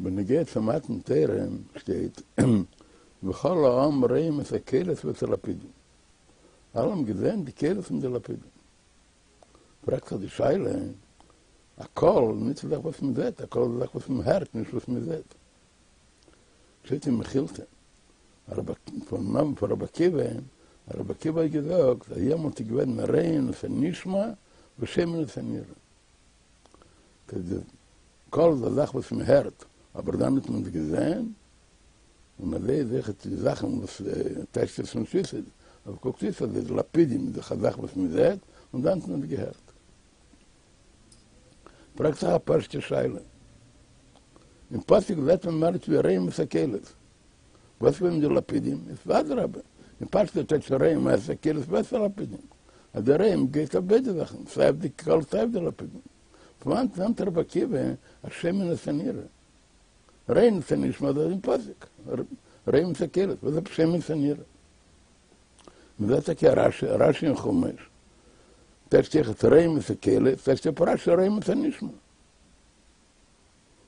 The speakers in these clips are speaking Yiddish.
בנוגע צו מתן תורה שטייט וכל העם רואים את הקולות ואת הלפידים, אלע האבן געזען די קולות און די לפידים. פרעגט זיך די שאלה, א קול נישט א זאך וואס מען זעט, א קול איז א זאך וואס מען הערט נישט וואס מען זעט. שטייט אין מכילתא פון נאמען פון רבי עקיבא, רבי עקיבא האט געזאגט אז יעמאלט איז געווען רואין את הנשמע ושומעין את הנראה. די קול איז א זאך וואס מען הערט, אבער דאן האט מען עס געזען, און אזוי איז אויכעט די זאכן וואס טייטשט עס פון סוסים, אבער קוקט אויס אז די לפידים איז דאך א זאך וואס מען זעט, און דאן האט מען עס געהערט. פרעגט זיך א פשוטע שאלה. אין פסוק זעט מען מער נישט ווי רואים את הקולות. וואס איז געווען מיט די לפידים? איז ואדרבה, אין פשטות טייטש רואים את הקולות ואת הלפידים. אז די רואים גייט אויף ביידע זאכן, סיי אויף די קול סיי אויף די לפידים. פון וואנעט נעמט רבי עקיבא אז שומעין את הנראה? רואים את הנשמע דאס איז אין פסוק. רואים את הקולות, וואס איז שומעין את הנראה? מ'זעט טאקע א רשי, רשי אין חומש, טייטשט אויכעט רואים את הקולות, טייטשט אפ רשי רואים את הנשמע.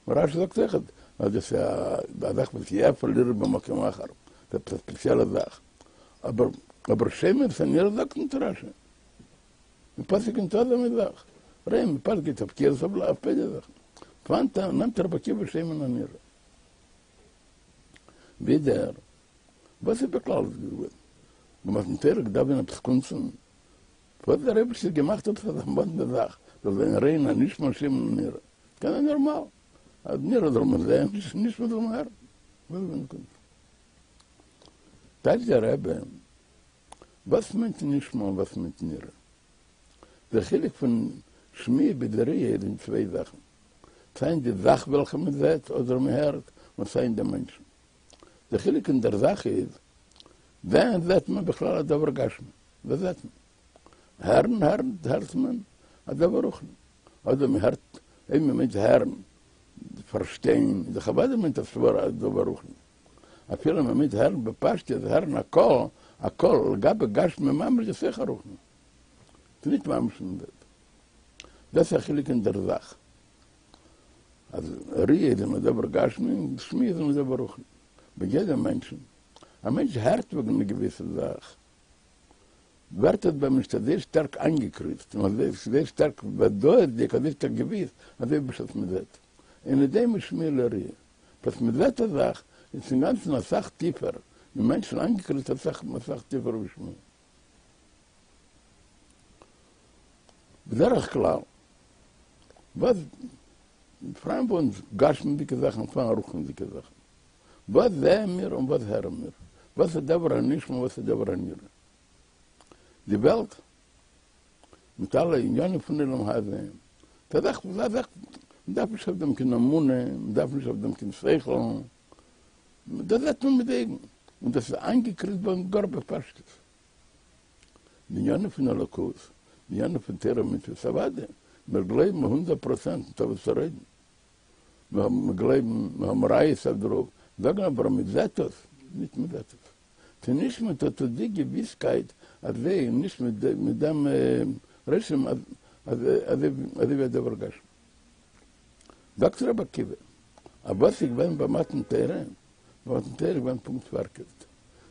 רשי זאגט אויכעט אז דאס איז א זאך וואס אי אפשר לראות במקום אחר, ס'איז עפעס א ספעציעלע זאך. אבער אבער שומעין את הנראה זאגט נישט רשי. אין פסוק ניטא אזא מין זאך. רואים בפשטות גייט אויף קולות אויף ביידע זאכן. פון וואנעט נעמט רבי עקיבא שומעין הנראה. ווידער, וואס איז בכלל דאס געווען? ביי מתן תורה געדארפט זיין עפעס קונצן? וואס האט דער אייבערשטער געמאכט עפעס אזא מאדנע זאך, זאל זיין רואים הנשמע שומעין הנראה? קען זיין נארמאל, אז נראה זאל מען זען, נשמע זאל מען הערן. וואס איז געווען די קונץ? טייטשט דער רבי, וואס מיינט נשמע און וואס מיינט נראה? דער חילוק פון שמיעה ביז ראיה איז אין צוויי זאכן, סיי אין די זאך וועלכע מען זעט אדער מען הערט, און סיי אין דעם מענטשן. דער חילוק אין דער זאך איז, ווען זעט מען בכלל א דבר גשמי? וואס זעט מען? הערן הערן הערט מען א דבר רוחני. אדער מען הערט, אויב מען מיינט הערן, פארשטיין, איז דאך אוודאי מיינט א סברא א דבר רוחני. אפילו מען מיינט הערן בפשטות, הערן א קול, א קול לגבי גשמי ממש איז אויך א רוחני. ס'איז נישט ממש אין וועלט. דאס איז א חילוק אין דער זאך. אז ראי' איז אין א דבר גשמי און שמיעה איז אין א דבר רוחני. ביי יעדעם מענטשן, א מענטש הערט וועגן א געוויסע זאך, ווערט עס ביי אים נישט אזוי שטארק איינגעקריצט און אזוי שטארק ודאות'דיג, אזוי שטארק געוויס, אזוי ווי בשעת מען זעט. אינו דומה שמיעה לראי'. בשעת מען זעט א זאך, איז עס אינגאנצן אסאך טיפער, אין מענטשן איינגעקריצט אסאך אסאך טיפער ווי שמיעה. בדרך כלל, וואס פאראן ביי אונז גשמי'דיגע זאכן און פאראן רוחני'דיגע זאכן. וואס זעען מיר און וואס הערן מיר? וואס איז דבר הנשמע און וואס איז דבר הנראה? די וועלט מיט אלע עניינים פון עולם הזה, ס'איז א זאך, א זאך, מ'דארף נישט אויף דעם קיין אמונה, מ'דארף נישט אויף דעם קיין שכל, דאס זעט מען מיט די אויגן, און דאס איז איינגעקריצט ביי אונז גאר בפשטות. די ענינים פון אלוקות, די ענינים פון תורה ומצוות, אוודאי, מיר גלויבן הונדערט פראצענט, ניטא וואס צו רעדן. מיר האבן, מיר גלויבן, מיר האבן ראיות אויף דערויף, זאגן אבער מען זעט עס, נישט מען זעט עס. ס'איז נישט מיט אט די געוויסקייט אזוי, נישט מיט דעם רושם אזוי ווי א דבר גשמי. זאגט רבי עקיבא, אז וואס איז געווען ביי מתן תורה? ביי מתן תורה איז געווען פונקט פארקערט,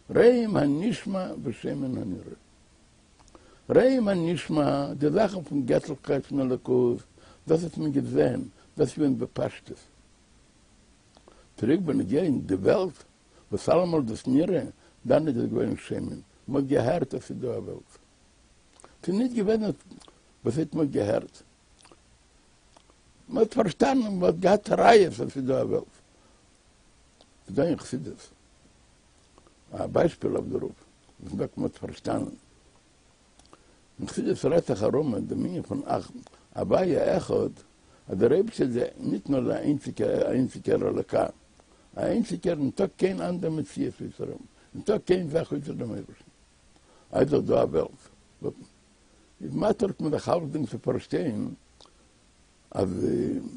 רואים הנשמע ושומעין הנראה. רואים הנשמע, די זאכן פון געטליכקייט פון אלוקות, דאס האט מען געזען, דאס איז געווען בפשטות. צוריק בנוגע אין די וועלט, וואס אלעמאל דאס נראה, דאן איז דאס געווען שומעין, מען האט געהערט אז ס'איז דא א וועלט. ס'איז נישט געווען וואס הייסט מען האט געהערט? מען האט פארשטאנען, מען האט געהאט ראיות אז ס'איז דא א וועלט. ס'איז דא אין חסידות א ביישפיל אויף דערויף, וואס מ'זאגט מען האט פארשטאנען. אין חסידות רעדט זיך ארום אין דעם ענין פון הוויה אחד, אז דער אייבערשטער איז ניט נאר דער איינציגער איינציגער אלוקה, א איינציגער, ניטא קיין אנדער מציאות אויסער אים, ניטא קיין זאך אויסער דעם אייבערשטן. איז דאך דא א וועלט. איז מאטערט מען זיך אלצדינג צו פארשטיין אז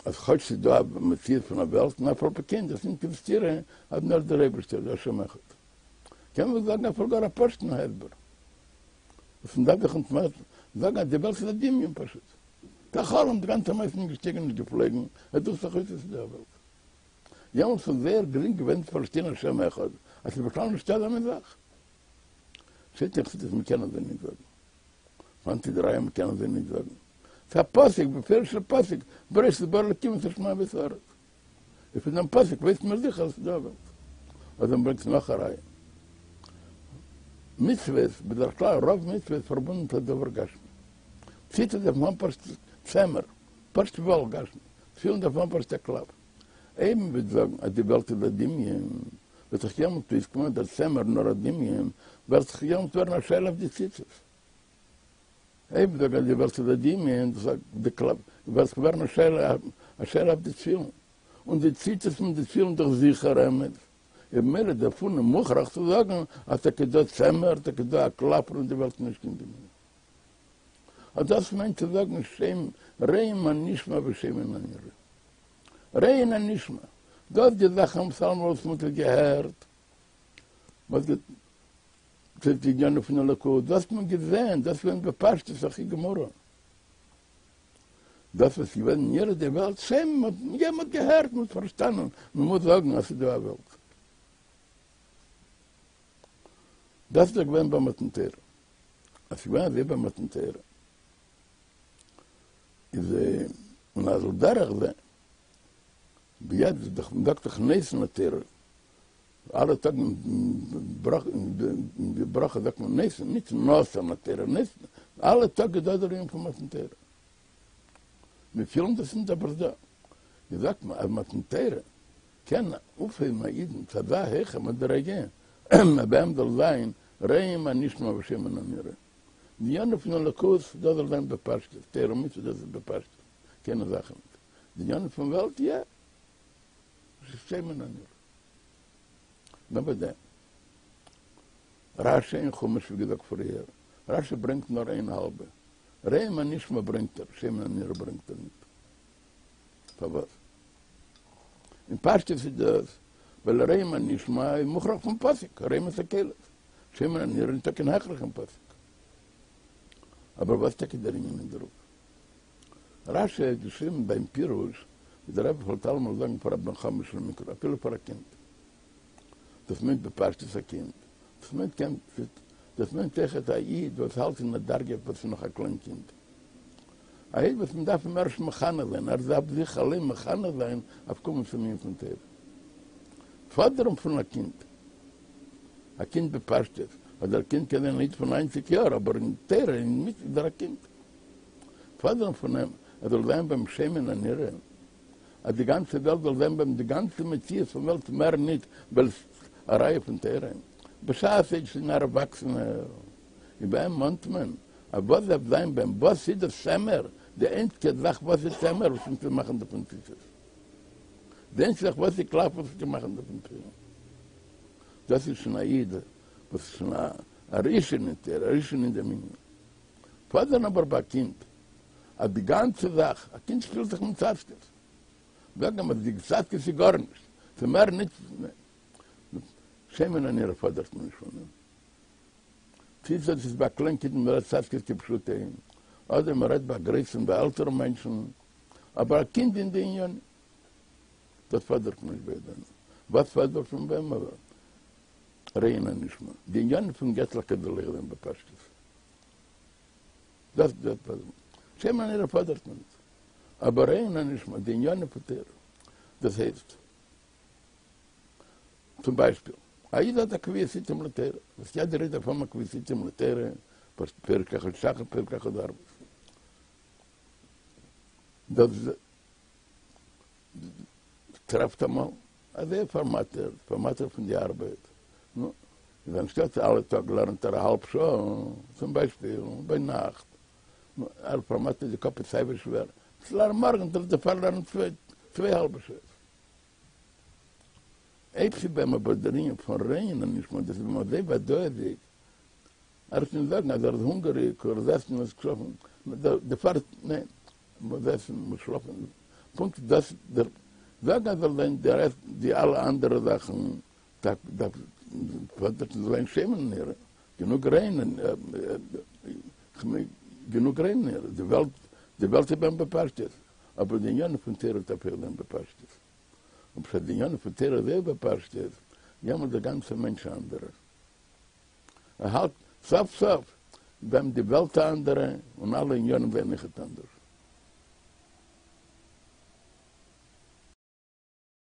אז כאטש ס'איז דא א מציאות פון א וועלט און אף על פי כן דאס נישט קיין סתירה אז נאר דער אייבערשטער איז השם אחד. קען מען זאגן אפילו גאר א פשוט'ן הסבר וואס מ'דארף זיך נישט זאגן אז די וועלט איז א דמיון פשוט. ס'איז א חלום, די גאנצע מעשה איז נישט געשטיגן נישט געפלויגן, עס דוכט זיך אויס אז ס'איז דא א וועלט. יעמאלטס איז זייער גרינג געווען צו פארשטיין השם אחד, אז ס'איז בכלל נישטא אזא מין זאך. שטייט אין חסידות מ'קען אזוי נישט זאגן. וואנעט איז די ראיה מ'קען אזוי נישט זאגן? ס'איז א פסוק, בפירוש'ער פסוק, בראשית ברא אלקים את השמים ואת הארץ. און פון דעם פסוק ווייסט מען זיכער אז ס'איז דא א וועלט. אדער מ'ברענגט נאך א ראיה. מצוות, בדרך כלל רוב מצוות פארבונדן מיט א דבר גשמי. ציצית דארף מען האבן פשוט צמר, פשוט וואל גשמי. תפילין דארף מען האבן פשוט א קלף. אויב מ'וועט זאגן אז די וועלט איז א דמיון, וועט זיך יעמאלט אויסקומען אז דער צמר נאר א דמיון, וועט זיך יעמאלט ווערן א שאלה אויף די ציצית. אויב מ'זאגט אז די וועלט איז א דמיון, דאס זאגט די קלף, וועט זיך ווערן א שאלה א שאלה אויף די תפילין. און די ציצית מיט די תפילין דאך זיכער אמת. איז במילא דערפון איז מוכרח צו זאגן אז טאקע דא צמר, טאקע דא א קלף און די וועלט איז נישט קיין דמיון. אט דאס מיינט צו זאגן שם רואין הנשמע ושומעין הנראה. רואין הנשמע, דאס די זאכן וואס אלעמאל וואס מ'האט עס געהערט, מ'האט געזען די ענינים פון אלוקות, דאס האט מען געזען, דאס איז געווען בפשטות הכי גמורה. דאס וואס איז געווען נראה די וועלט, שוין, מ'האט מ'האט געהערט, מ'האט פארשטאנען, מ'מוז זאגן אז ס'איז דא א וועלט. דאס איז דאך געווען ביי מתן תורה. אז ס'איז געווען אזוי ביי מתן תורה, איז און אז על דרך זה, ביד איז דאך מ'זאגט דאך נותן התורה, אלע טאג אין די ברכה זאגט מען נותן, נישט נתן התורה, נותן, אלע טאג איז דא דער ענין פון מתן תורה. מיר פילן דאס נישט אבער דא איז זאגט מען אז מתן תורה קען אויפהייבן א אידן צו אזא הויכע מדריגה אז ביי אים זאל זיין רואים הנשמע ושומעין הנראה. די ענינים פון אלוקות דאס זאל זיין בפשטות, תורה ומצוות דאס איז בפשטות, קיינע זאכן נישט. די ענינים פון וועלט יא, שומעין הנראה. נאר ביי דעם רשי אין חומש ווי געזאגט פריער, רשי ברענגט נאר איין האלבע, רואים הנשמע ברענגט ער, שומעין הנראה ברענגט ער ניט. פארוואס? אין פשטות איז דאס ווייל רואים הנשמע איז מוכרח פון פסוק, רואים את הקולות, שומעין הנראה ניטא קיין הכרח אין פסוק. אבער וואס טאקע דער ענין אין דערויף? רשי האט געשריבן ביים פירוש, ווי דער רבי פלעגט אלעמאל זאגן פאר א בן חמש למקרא, אפילו פאר א קינד. דאס מיינט בפשטות א קינד, דאס מיינט קען, דאס מיינט אויכעט א איד וואס האלט אין א דרגה וואס איז נאך א קליין קינד. א איד וואס מען דארף אים ערשט מחנך זיין, ער דארף זיך אליין מחנך זיין אויף קומען צום ענין פון תורה. פאדערן פון א קינד, א קינד בפשטות, אדער א קינד קען זיין א איד פון ניינציג יאר, אבער אין תורה אין מצוות איז ער א קינד. פאדערן פון אים ער זאל זיין ביי אים שומעין הנראה, אז די גאנצע וועלט זאל זיין ביי אים די גאנצע מציאות פון וועלט מער ניט ווייל ס'איז א ראיה פון תורה, בשעת ער איז שוין א ערוואקסענער, איז ביי אים מאנט מען אז וואס דארף זיין ביי אים, וואס איז דאס צמר, די איינציגע זאך וואס איז צמר וואס מ'קען מאכן דערפון ציצית, די איינציגע זאך וואס איז קלף וואס מ'קען מאכן דערפון תפילין, דאס איז שוין א איד וואס איז שוין א ראשון אין תורה, א ראשון אין דעם ענין. פאדערן אבער ביי א קינד אז די גאנצע זאך, א קינד שפילט זיך מיט צאצקעס, זאג אים אז די צאצקעס איז גארנישט, ס'איז מער נישט, שומעין הנראה פאדערט מען נישט פון אים. צי דאס איז ביי א קליין קינד מען רעדט צאצקעס כפשוטו, אדער מען רעדט ביי א גרויסן ביי עלטערע מענטשן, אבער א קינד אין די עניינים, דאס פאדערט מען נישט ביי דעם. וואס פאדערט מען ביי אים אבער? רואין הנשמע, די עניינים פון געטלעכקייט זאל אויך זיין בפשטות. דאס דאס פאדערט מען. שומעין הנראה פאדערט מען נישט. אבער רואין הנשמע, די עניינים פון תורה. דאס הייסט, צום ביישפיל, א איד האט א קביעות עתים לתורה, וואס יעדער איד דארף האבן א קביעות עתים לתורה, פרק אחד שחרית פרק אחד ערבית. דאס טרעפט אמאל אז ער איז פארמאטערט, פארמאטערט פון די ארבעט, נו, איז אנשטאט אלע טאג לערנט ער א האלב שעה, צום ביישפיל, ביינאכט, נו, ער פארמאטערט די קאפ איז סייווי שווער, צו לערנען מארגן זאל ער דערפאר לערנען צוויי האלבע שעות. אויב ס'איז ביי אים אבער דער ענין פון רואין הנשמע, דאס איז ביי אים אזוי ודאות'דיג, ער וועט נישט זאגן אז ער איז הונגעריג, ער מוז עסן און שלאפן, דערפאר, ניין, מוז עסן, מוז שלאפן, פונקט דאס דער זאגן אז זאל זיין די רעסט די אלע אנדערע זאכן דארף דארף פאדערט זאל זיין שומעין הנראה, גענוג רואין גענוג רואין הנראה, די וועלט די וועלט איז ביי אים בפשטות, אבער די ענינים פון תורה דארף אויך זיין בפשטות. און בשעת די ענינים פון תורה איז אויך בפשטות, יעמאלט דער גאנצער מענטש א אנדערער. ער האלט סוף סוף ווען די וועלט א אנדערע און אלע ענינים זענען אויכעט אנדערש.